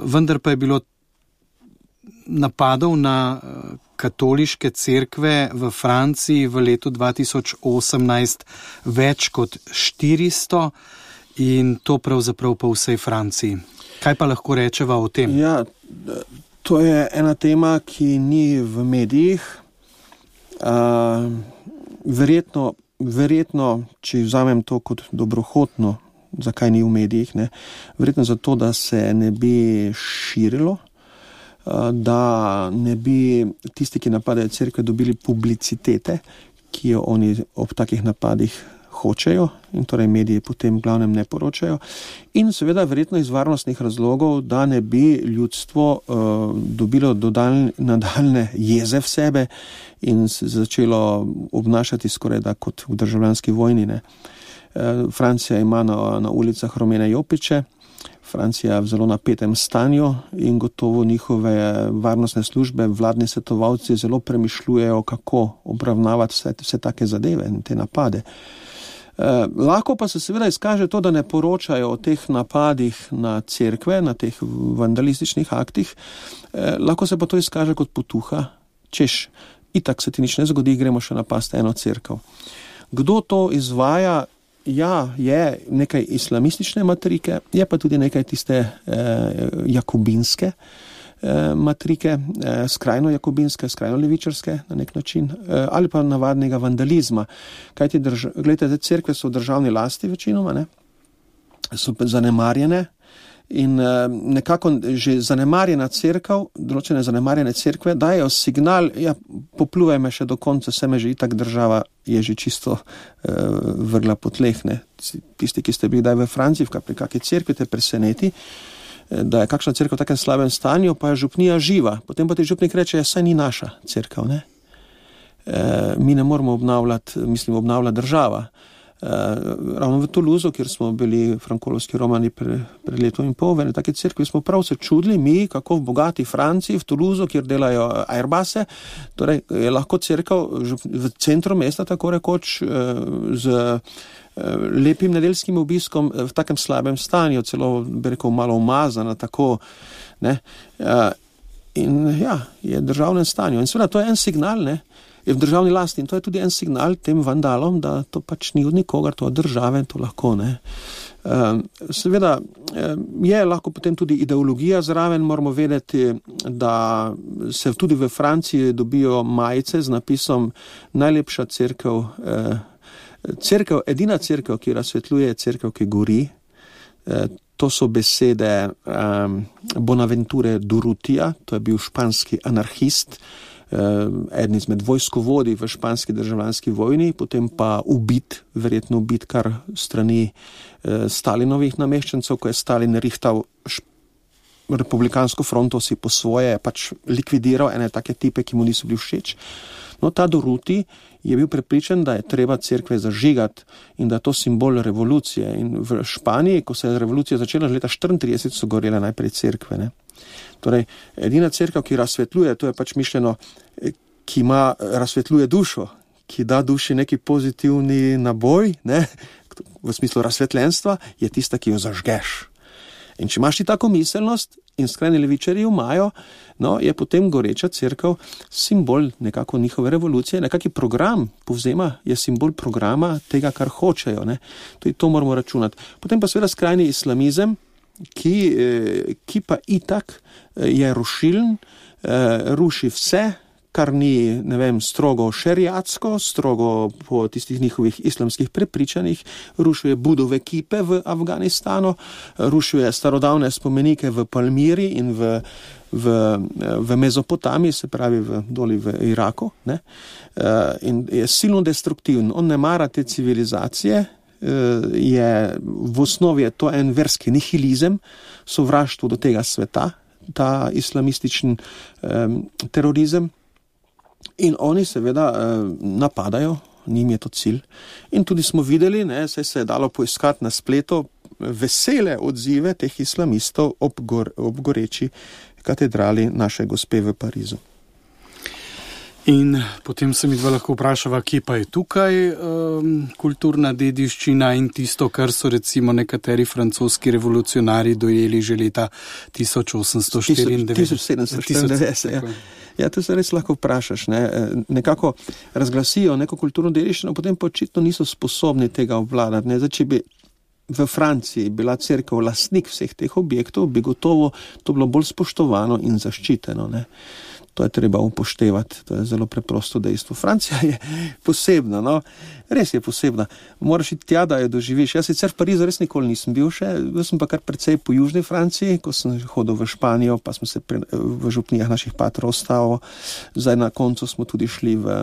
Vendar pa je bilo napadov na katoliške cerkve v Franciji v letu dva tisoč osemnajst več kot štiristo in to pravzaprav po vsej Franciji. Kaj pa lahko rečeva o tem? Ja, to je ena tema, ki ni v medijih. Uh, verjetno, verjetno, če vzamem to kot dobrohotno, zakaj ni v medijih, ne? Verjetno zato, da se ne bi širilo, da ne bi tisti, ki napadajo cerkve, dobili publicitete, ki jo oni ob takih napadih hočejo in torej mediji potem v glavnem ne poročajo. In seveda verjetno iz varnostnih razlogov, da ne bi ljudstvo uh, dobilo dodalj, nadaljne jeze v sebe in se začelo obnašati skoraj da kot v državljanski vojni, ne. Francija ima na, na ulicah rumene jopiče, Francija v zelo napetem stanju in gotovo njihove varnostne službe, vladni svetovalci zelo premišljujejo, kako obravnavati vse, vse take zadeve in te napade. Eh, lahko pa se seveda izkaže to, da ne poročajo o teh napadih na cerkve, na teh vandalističnih aktih, eh, lahko se pa to izkaže kot potuha, češ, itak se ti nič ne zgodi, gremo še napasti eno cerkev. Kdo to izvaja? Ja, je nekaj islamistične matrike, je pa tudi nekaj tiste eh, jakobinske, eh, matrike, eh, skrajno jakobinske, skrajno levičarske na nek način, eh, ali pa navadnega vandalizma. Kajti, drž- gledajte, cerkve so v državni lasti večinoma, ne? So zanemarjene in eh, nekako že zanemarjena cerkev, določene zanemarjene cerkve dajo signal, ja, popluvaj me še do konca, se me že itak država je že čisto eh, vrgla po tleh, ne? Tisti, ki ste bili daj v Franciji, pri kakej cerkvi te preseneti, da je kakšna cerkev v takem slabem stanju, pa je župnija živa. Potem pa ti župnik reče, ja, saj ni naša cerkev, ne? E, mi ne moramo obnavljati, mislim, obnavlja država. E, ravno v Toulouseu, kjer smo bili frankolovski romani pre, pred letom in pol, v ene take cerkvi smo prav se čudili, mi, kako v bogati Franciji, v Toulouseu, kjer delajo Airbuse, torej je lahko cerkev v centru mesta, tako rekoč, z lepim nedeljskim obiskom v takem slabem stanju, celo bi rekel malo umazana, tako, ne, in ja, je v državnem stanju. In seveda to je en signal, ne, je v državni lasti in to je tudi en signal tem vandalom, da to pač ni od nikogar, to od države, to lahko, ne. Seveda je lahko potem tudi ideologija zraven, moramo vedeti, da se tudi v Franciji dobijo majice z napisom najlepša cerkev, cerkev, edina cerkev, ki razsvetljuje, je cerkev, ki gori. E, to so besede um, Bonaventure Durrutija, to je bil španski anarhist, um, eden izmed vojskovodij v španski državljanski vojni, potem pa ubit, verjetno ubit kar strani uh, Stalinovih nameščencev, ko je Stalin rihtal šp- republikansko fronto si po svoje, pač likvidiral ene take tipe, ki mu niso bili všeč. No, ta Durruti je bil prepričan, da je treba cerkve zažigati in da je to simbol revolucije. In v Španiji, ko se je revolucija začela leta štiriintrideset, so gorele najprej cerkve, ne. Torej, edina cerkev, ki razsvetljuje, to je pač mišljeno, ki ima, razsvetljuje dušo, ki da duši neki pozitivni naboj, ne, v smislu razsvetljenstva, je tista, ki jo zažgeš. In če imaš ti tako miselnost, in skrajni levičarji imajo, no, je potem goreča cerkev simbol nekako njihove revolucije, nekaki program povzema, je simbol programa tega, kar hočejo, ne. Tudi to moramo računati. Potem pa seveda skrajni islamizem, ki, ki pa itak je rušilen, ruši vse, kar ni, ne vem, strogo šeriatsko, strogo po tistih njihovih islamskih prepričanjih, rušuje budove kipe v Afganistanu, rušuje starodavne spomenike v Palmiri in v, v, v Mezopotamiji, se pravi v, doli v Iraku, ne? In je silno destruktiven. On ne mara te civilizacije, je, v osnovi je to en verski nihilizem, sovraštvo do tega sveta, ta islamističen um, terorizem. In oni seveda eh, napadajo, njim je to cilj. In tudi smo videli, ne, saj se je dalo poiskati na spletu vesele odzive teh islamistov ob, gor, ob goreči katedrali naše gospe v Parizu. In potem se mi dva lahko vprašava, kje pa je tukaj um, kulturna dediščina in tisto, kar so recimo nekateri francoski revolucionari dojeli že leta tisoč osemsto štiriindevetdeset. tisoč sedemsto štiriindevetdeset, ja. Ja, to se res lahko vprašaš, ne. Nekako razglasijo neko kulturno dediščino, potem pa očitno niso sposobni tega obvladati, ne. Zdaj, če bi v Franciji bila cerkev lastnik vseh teh objektov, bi gotovo to bilo bolj spoštovano in zaščiteno, ne. To je treba upoštevati, to je zelo preprosto dejstvo. Francija je posebna, no, res je posebna. Moraš iti tja, da jo doživiš. Jaz sicer v Parizu res nikoli nisem bil še, bil sem pa kar precej po južni Franciji, ko sem hodil v Španijo, pa smo se pre, v župnijah naših patrov ostalo. Zdaj na koncu smo tudi šli v,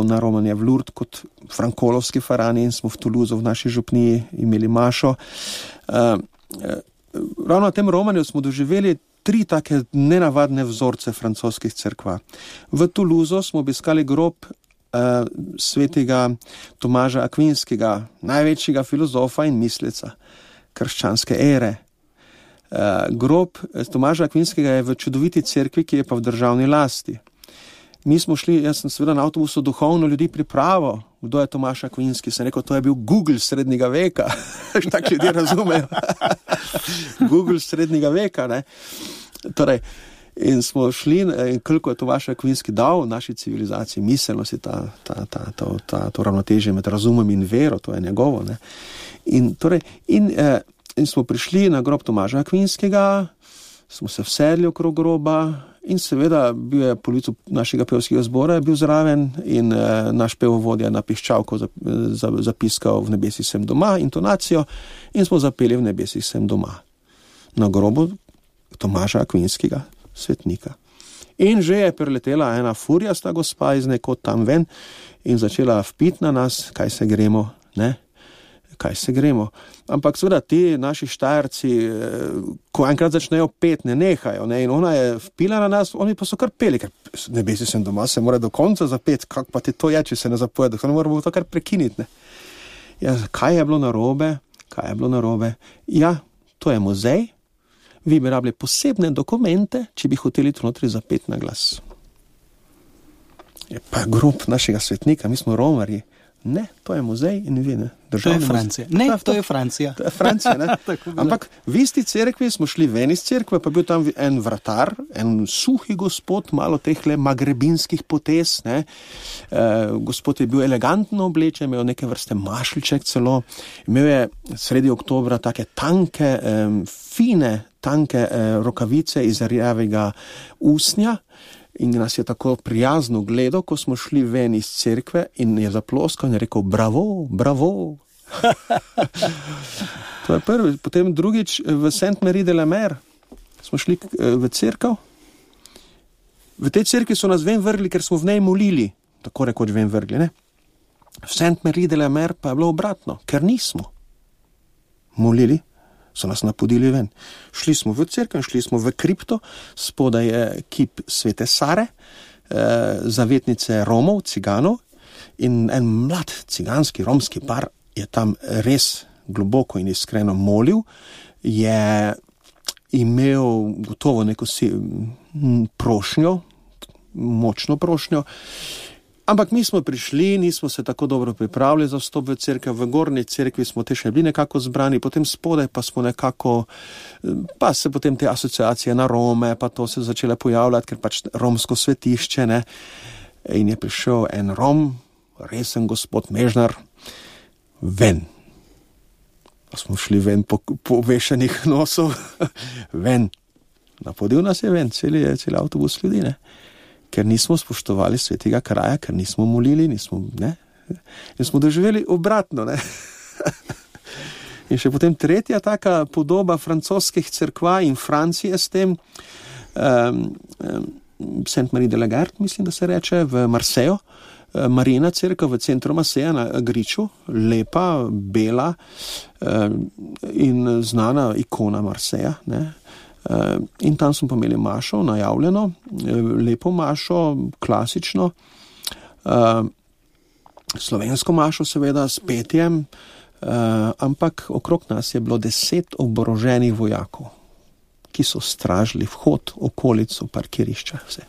na romanje v Lourdes kot frankolovski farani in smo v Toulouseu v naši župniji imeli mašo. Uh, uh, ravno na tem romanju smo doživeli tri take nenavadne vzorce francoskih cerkva. V Toulouseu smo obiskali grob uh, svetega Tomaža Akvinskega, največjega filozofa in misleca krščanske ere. Uh, grob Tomaža Akvinskega je v čudoviti cerkvi, ki je pa v državni lasti. Mi smo šli, jaz sem seveda na avtobusu duhovno ljudi pripravo, kdo je Tomaž Akvinski, sem rekel, to je bil Google srednjega veka, tak ljudje razumejo. Google srednjega veka, ne. Torej, in smo šli, in koliko je Tomaž Akvinski dal naši civilizaciji, miselnosti, ta, ta, ta, ta, ta, to ravnotežje med razumom in vero, to je njegovo, ne. In torej, in, eh, in smo prišli na grob Tomaža Akvinskega, smo se vsedli okrog groba in seveda bil je polovico našega pevskega zbora bil zraven in eh, naš pevovodja na piščalko zapiskal V nebesih sem doma, intonacijo, in smo zapeli V nebesih sem doma na grobu Tomaža Akvinskega, svetnika. In že je preletela ena furjasta gospa iz nekod tam ven in začela vpit na nas, kaj se gremo, ne? Kaj se gremo. Ampak seveda ti naši Štajerci, ko enkrat začnejo pet, ne nehajo, ne? In ona je vpila na nas, oni pa so kar peli, ker V nebesih sem doma, se mora do konca zapeti, kak pa ti to je, če se ne zapoje, da moramo to kar prekiniti, ne? Ja, kaj je bilo narobe? Kaj je bilo narobe? Ja, to je muzej, vi bi rabili posebne dokumente, če bi hoteli to notri zapeti na glas. Je pa grob našega svetnika, mi smo romarji. Ne, to je muzej in vi ne. To je Francija. Ne, to, to je Francija. To je Francija, ne. Ampak v isti cerkvi smo šli ven iz cerkve, pa bil tam en vratar, en suhi gospod, malo tehle magrebinskih potez, ne. E, gospod je bil elegantno oblečen, imel neke vrste mašljček celo, imel je sredi oktobra take tanke, e, fine, tanke e, rokavice iz rjavega usnja, in nas je tako prijazno gledal, ko smo šli ven iz cerkve in je zaploskal in je rekel bravo, bravo. To je prvi. Potem drugič v Sainte-Marie de la Mer smo šli v cerkev. V tej cerkvi so nas ven vrgli, ker smo v njej molili, tako rekoč ven vrgli, ne? V Sainte-Marie de la Mer pa je bilo obratno, ker nismo molili, so nas napodili ven. Šli smo v cerkev, šli smo v kripto, spodaj je kip svete Sare, eh, zavetnice Romov, ciganov, in en mlad ciganski romski par je tam res globoko in iskreno molil, je imel gotovo neko si, m, prošnjo, močno prošnjo, ampak mi smo prišli, nismo se tako dobro pripravili za vstop v cerkev, v gornji cerkvi smo te še bili nekako zbrani, potem spodaj pa smo nekako, pa se potem te asociacije na Rome, pa to se začele pojavljati, ker pač romsko svetišče, ne, in je prišel en Rom, resen gospod Mežnar, ven. Pa smo šli ven po, po vešenih nosov, ven. Napodil nas je ven, celi, celi avtobus ljudi, ne. Ker nismo spoštovali svetega kraja, ker nismo molili, nismo, ne, in smo doživeli obratno, ne. In še potem tretja taka podoba francoskih cerkva in Francije s tem, um, um, Sainte-Marie de la Garde, mislim, da se reče, v Marseju, Marina cerkev v centru Marseja na Griču, lepa, bela um, in znana ikona Marseja, ne. Uh, in tam smo pa imeli mašo, najavljeno, lepo mašo, klasično, uh, slovensko mašo seveda s petjem, uh, ampak okrog nas je bilo deset oboroženih vojakov, ki so stražili vhod, okolico, parkirišča, vse.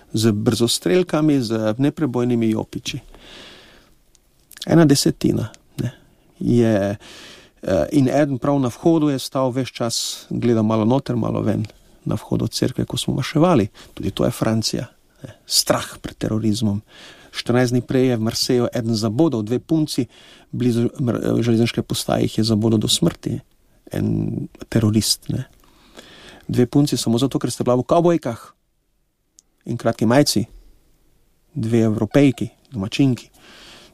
Z brzostrelkami, z neprebojnimi jopiči. Ena desetina, ne, je... In eden prav na vhodu je stal ves čas, gledal malo noter, malo ven na vhodu cerkve, ko smo maševali. Tudi to je Francija. Ne. Strah pred terorizmom. štirinajst dni prej je v Marseju eden zabodal, dve punci blizu železniške postaje jih je zabodal do smrti. En terorist. Ne. Dve punci samo zato, ker ste bila v kavbojkah in kratki majci. Dve Evropejki, domačinki.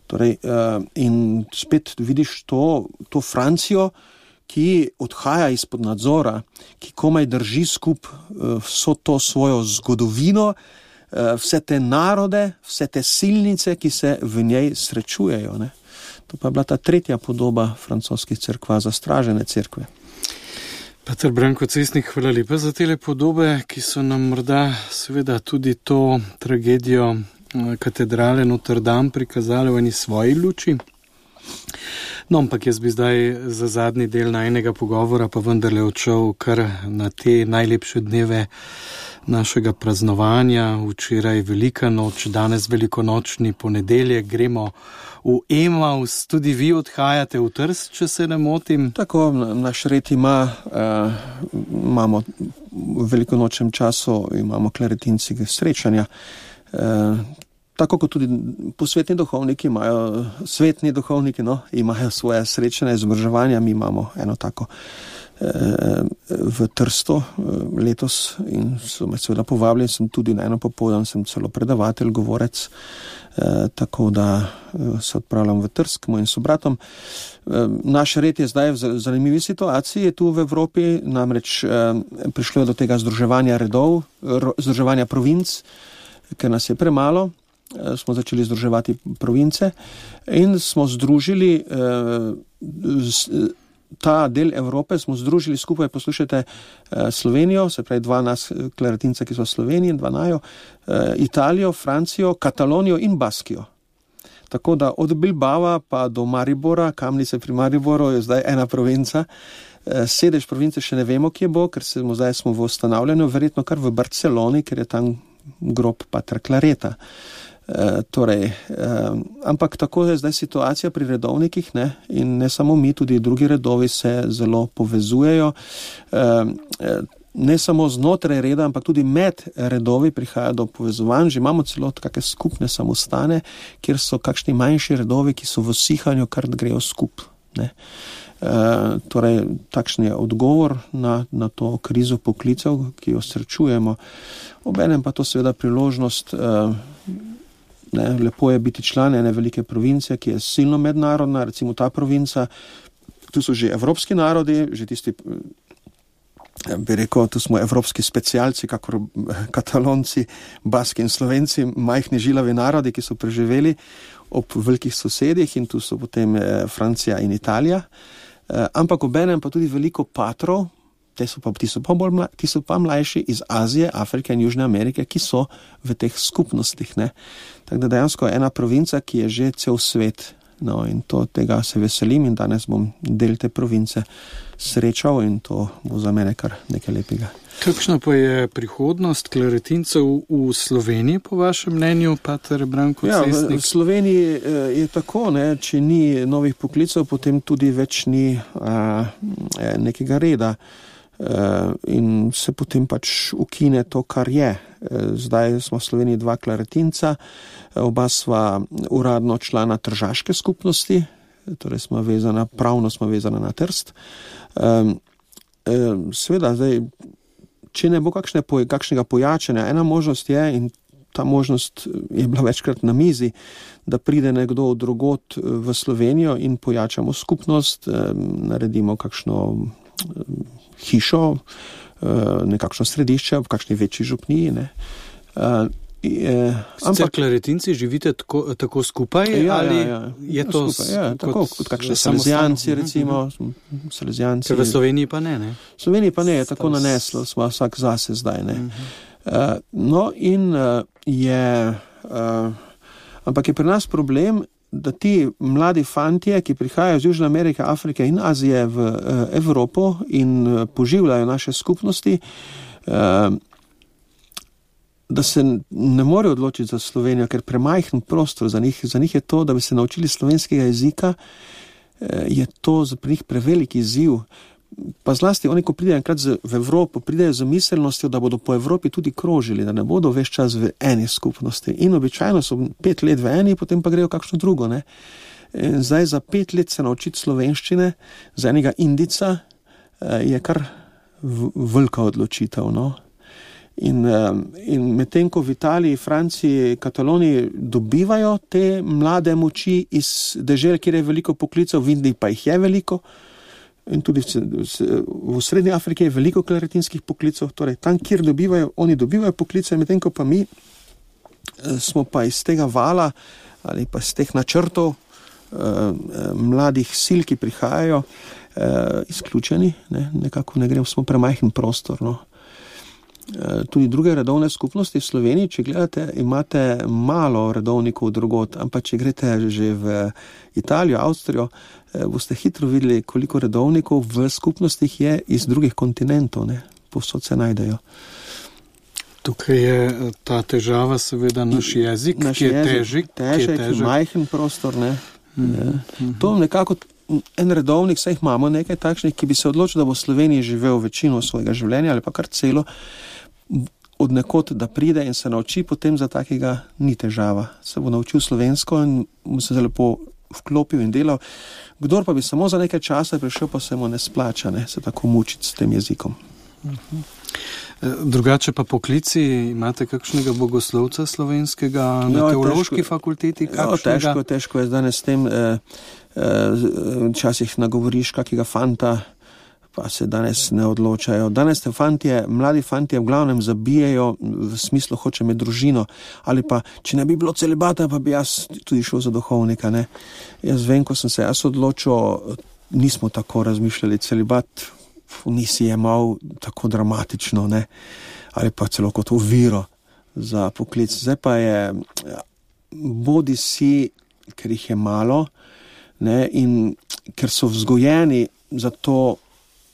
Torej, uh, in spet vidiš to, to Francijo, ki odhaja izpod nadzora, ki komaj drži skup uh, vso to svojo zgodovino, uh, vse te narode, vse te silnice, ki se v njej srečujejo, ne. To pa je bila ta tretja podoba francoskih cerkva, zastražene cerkve. Peter Branko Cestnik, hvala lepa za tele podobe, ki so nam morda seveda tudi to tragedijo katedrale Notre Dame prikazali v eni svoji luči. No, ampak jaz bi zdaj za zadnji del najnega pogovora pa vendarle odšel kar na te najlepše dneve našega praznovanja. Včeraj Velika noč, danes velikonočni ponedeljek, gremo v Emaus, tudi vi odhajate v Trst, če se ne motim. Tako, naš red ima, uh, imamo v velikonočnem času, imamo kleretinci srečanja. Uh, tako kot tudi posvetni duhovniki imajo, svetni duhovniki, no, imajo svoje srečanje, izobraževanja, mi imamo eno tako v Trsto letos in so me seveda povabili, sem tudi na eno popoldan, sem celo predavatelj, govorec, tako da se odpravljam v Trst k mojim sobratom. Naš red je zdaj v zanimivi situaciji tu v Evropi, namreč prišlo je do tega združevanja redov, združevanja provinc, ker nas je premalo, smo začeli združevati province in smo združili ta del Evrope, smo združili skupaj, poslušajte, Slovenijo, se pravi dva nas klaritinca, ki so v Sloveniji, dva najo, Italijo, Francijo, Katalonijo in Baskijo. Tako da od Bilbava pa do Maribora, Kamnice pri Mariboru je zdaj ena provinca. Sedež province še ne vemo, kje bo, ker smo zdaj smo v ustanavljanju, verjetno kar v Barceloni, ker je tam grob Patra Clareta. E, torej, e, ampak tako je zdaj situacija pri redovnikih, ne? In ne samo mi, tudi drugi redovi se zelo povezujejo. E, ne samo znotraj reda, ampak tudi med redovi prihaja do povezovanj. Že imamo celo kakšne skupne samostane, kjer so kakšni manjši redovi, ki so v sihanju, kar grejo skup. Ne? E, torej, takšen je odgovor na, na to krizo poklicev, ki jo srečujemo. Obenem pa to seveda priložnost. E, Ne, lepo je biti član ene velike province, ki je silno mednarodna, recimo ta provinca, tu so že evropski narodi, že tisti, bi rekel, tu smo evropski specialci, kakor Katalonci, Baski in Slovenci, majhni žilavi narodi, ki so preživeli ob velikih sosedih in tu so potem Francija in Italija, ampak obenem pa tudi veliko patrov, Ti so, pa, ti, so pa bolj mla, ti so pa mlajši iz Azije, Afrike in Južne Amerike, ki so v teh skupnostih. Ne? Tako da dejansko je ena provinca, ki je že cel svet. No, in to, tega se veselim in danes bom del te province srečal in to bo za mene kar nekaj lepega. Kakšna pa je prihodnost klaritincev v Sloveniji, po vašem mnenju, pater Branko Cestnik? Ja, v Sloveniji je tako, ne, če ni novih poklicev, potem tudi več ni a, nekega reda. Uh, in se potem pač ukine to, kar je. Uh, zdaj smo v Sloveniji dva klaritinca, oba sva uradno člana tržaške skupnosti, torej smo vezana, pravno smo vezana na Trst. Um, um, Sveda, zdaj, če ne bo kakšne, kakšnega pojačanja, ena možnost je, in ta možnost je bila večkrat na mizi, da pride nekdo od drugot v Slovenijo in pojačamo skupnost, um, naredimo kakšno um, hišo, nekakšno središče v kakšni večji župniji. Ne. Sicer klaritinci živite tako, tako skupaj? Ja, ali ja, ja. je to skupaj, ja, kot, tako kot kakšne salezijanci, recimo. Salezijanci. Ker v Sloveniji pa ne, ne? V Sloveniji pa ne, je tako naneslo, smo vsak zase zdaj. Ne. Uh, no in uh, je, uh, ampak je pri nas problem, da ti mladi fantje, ki prihajajo iz Južne Amerike, Afrike in Azije v uh, Evropo in uh, poživljajo naše skupnosti, uh, da se ne morejo odločiti za Slovenijo, ker premajhen prostor za njih, za njih je to, da bi se naučili slovenskega jezika, uh, je to za njih prevelik izziv. Pa zlasti oni, ko pridejo enkrat v Evropo, pridejo z miselnostjo, da bodo po Evropi tudi krožili, da ne bodo ves čas v eni skupnosti. In običajno so pet let v eni, potem pa grejo kakšno drugo. Ne? Zdaj za pet let se naučiti slovenščine, za enega Indica je kar velika odločitev. No? In, in medtem, ko v Italiji, Franciji, Kataloniji dobivajo te mlade moči iz dežel, kjer je veliko poklicev, v Indiji pa jih je veliko, in tudi v, v Srednji Afriki je veliko klaritinskih poklicev, torej tam, kjer dobivajo, oni dobivajo poklice, medtem ko pa mi smo pa iz tega vala ali pa iz teh načrtov eh, mladih sil, ki prihajajo, eh, izključeni, ne, nekako ne gremo, smo premajhen prostor, no. Tudi druge redovne skupnosti v Sloveniji, če gledate, imate malo redovnikov drugot, ampak če greste že v Italijo, Avstrijo, boste hitro videli, koliko redovnikov v skupnostih je iz drugih kontinentov, ne, povsod se najdejo. Tukaj je ta težava seveda naš jezik, naš ki je jezik, težik, težek, ki je težek. Majhen prostor, ne. Mm, ne. mm. To nekako en redovnik, saj jih imamo nekaj takšnih, ki bi se odločil, da bo v Sloveniji živel večino svojega življenja ali pa kar celo, od nekod, da pride in se nauči, potem za takega ni težava. Se bo naučil slovensko in mu se lepo vklopil in delal. Kdor pa bi samo za nekaj časa prišel, pa se mu ne splača, ne, se tako mučiti s tem jezikom. Uh-huh. Drugače pa poklici, imate kakšnega bogoslovca slovenskega na jo, teološki težko, fakulteti? Jo, težko, težko je danes s tem, eh, eh, časih nagovoriš kakega fanta, pa se danes ne odločajo. Danes te fantje, mladi fantje v glavnem zabijajo v smislu hoče med družino, ali pa, če ne bi bilo celibata, pa bi jaz tudi šel za duhovnika, ne. Jaz vem, ko sem se jaz odločil, nismo tako razmišljali, celibat nisi jemal tako dramatično, ne, ali pa celo kot oviro za poklic. Zdaj pa je, bodi si, ker jih je malo, ne, in ker so vzgojeni za to,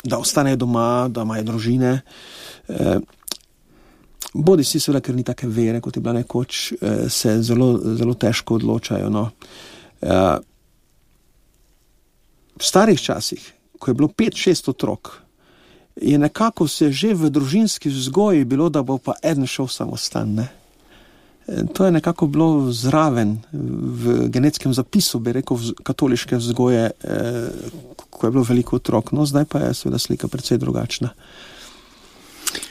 da ostanejo doma, da imajo družine. Eh, bodi si seveda, ker ni take vere, kot je bila nekoč, eh, se zelo, zelo težko odločajo. No. Eh, v starih časih, ko je bilo pet, šest otrok, je nekako se že v družinski vzgoji bilo, da bo pa eden šel samostan, ne. To je nekako bilo zraven v genetskem zapisu, bi rekel, katoliške vzgoje, eh, ko je bilo veliko otrok. No, zdaj pa je seveda slika precej drugačna.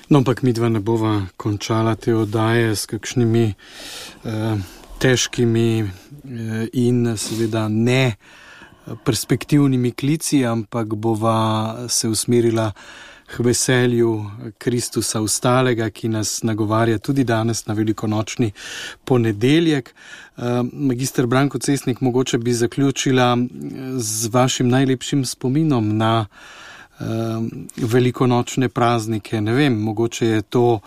No, ampak midva ne bova končala te oddaje s kakšnimi eh, težkimi eh, in seveda ne perspektivnimi klici, ampak bova se usmerila k veselju Kristusa Vstalega, ki nas nagovarja tudi danes na velikonočni ponedeljek. Magister Branko Cesnik, mogoče bi zaključila z vašim najlepšim spominom na velikonočne praznike. Ne vem, mogoče je to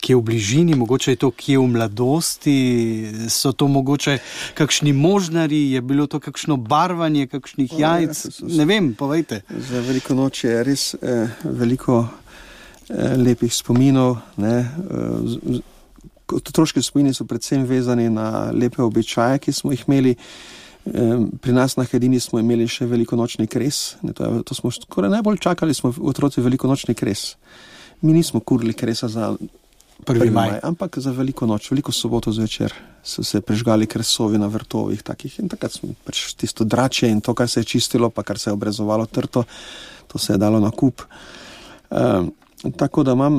kje v bližini, mogoče je to kje v mladosti, so to mogoče kakšni možnari, je bilo to kakšno barvanje, kakšnih jajc, ne vem, povejte. Za velikonoč je res eh, veliko eh, lepih spominov, ne. Eh, otroški spomini so predvsem vezani na lepe običaje, ki smo jih imeli. Pri nas na Hedini smo imeli še velikonočni kres, ne, to, je, to smo skoraj najbolj čakali, smo otroci velikonočni kres. Mi nismo kurili kresa za prvi maj, ampak za veliko noč, veliko soboto zvečer so se prežgali kresovi na vrtovih takih in takrat smo pač tisto drače in to, kar se je čistilo, pa kar se je obrezovalo trto, to se je dalo na kup. Um, tako da imam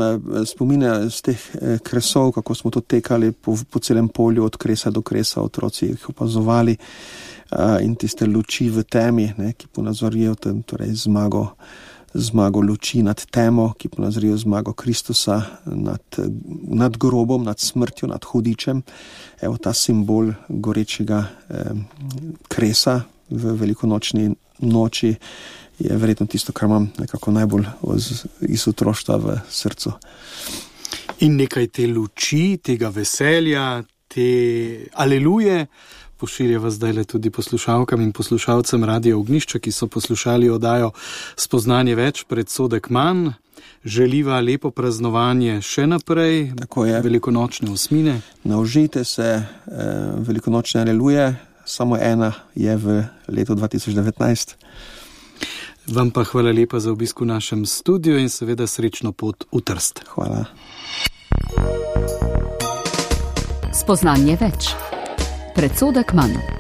spomine z teh kresov, kako smo to tekali po, po celem polju od kresa do kresa, otroci jih opazovali. Uh, in tiste luči v temi, ne, ki ponazorijo tem, torej zmago, zmago luči nad temo, ki ponazorijo zmago Kristusa nad, nad grobom, nad smrtjo, nad hudičem. Evo ta simbol gorečega eh, kresa v velikonočni noči je verjetno tisto, kar imam nekako najbolj iz otroštva v srcu. In nekaj te luči, tega veselja, te aleluje pošiljava zdajle tudi poslušalkam in poslušalcem Radia Ognjišče, ki so poslušali oddajo Spoznanje več, predsodek manj. Želiva lepo praznovanje še naprej, velikonočne osmine. Naužite se eh, velikonočne aleluje, samo ena je v letu dva tisoč devetnajst. Vam pa hvala lepa za obisk v našem studiu in seveda srečno pot v Trst. Hvala. Spoznanje več. Predsodek manj.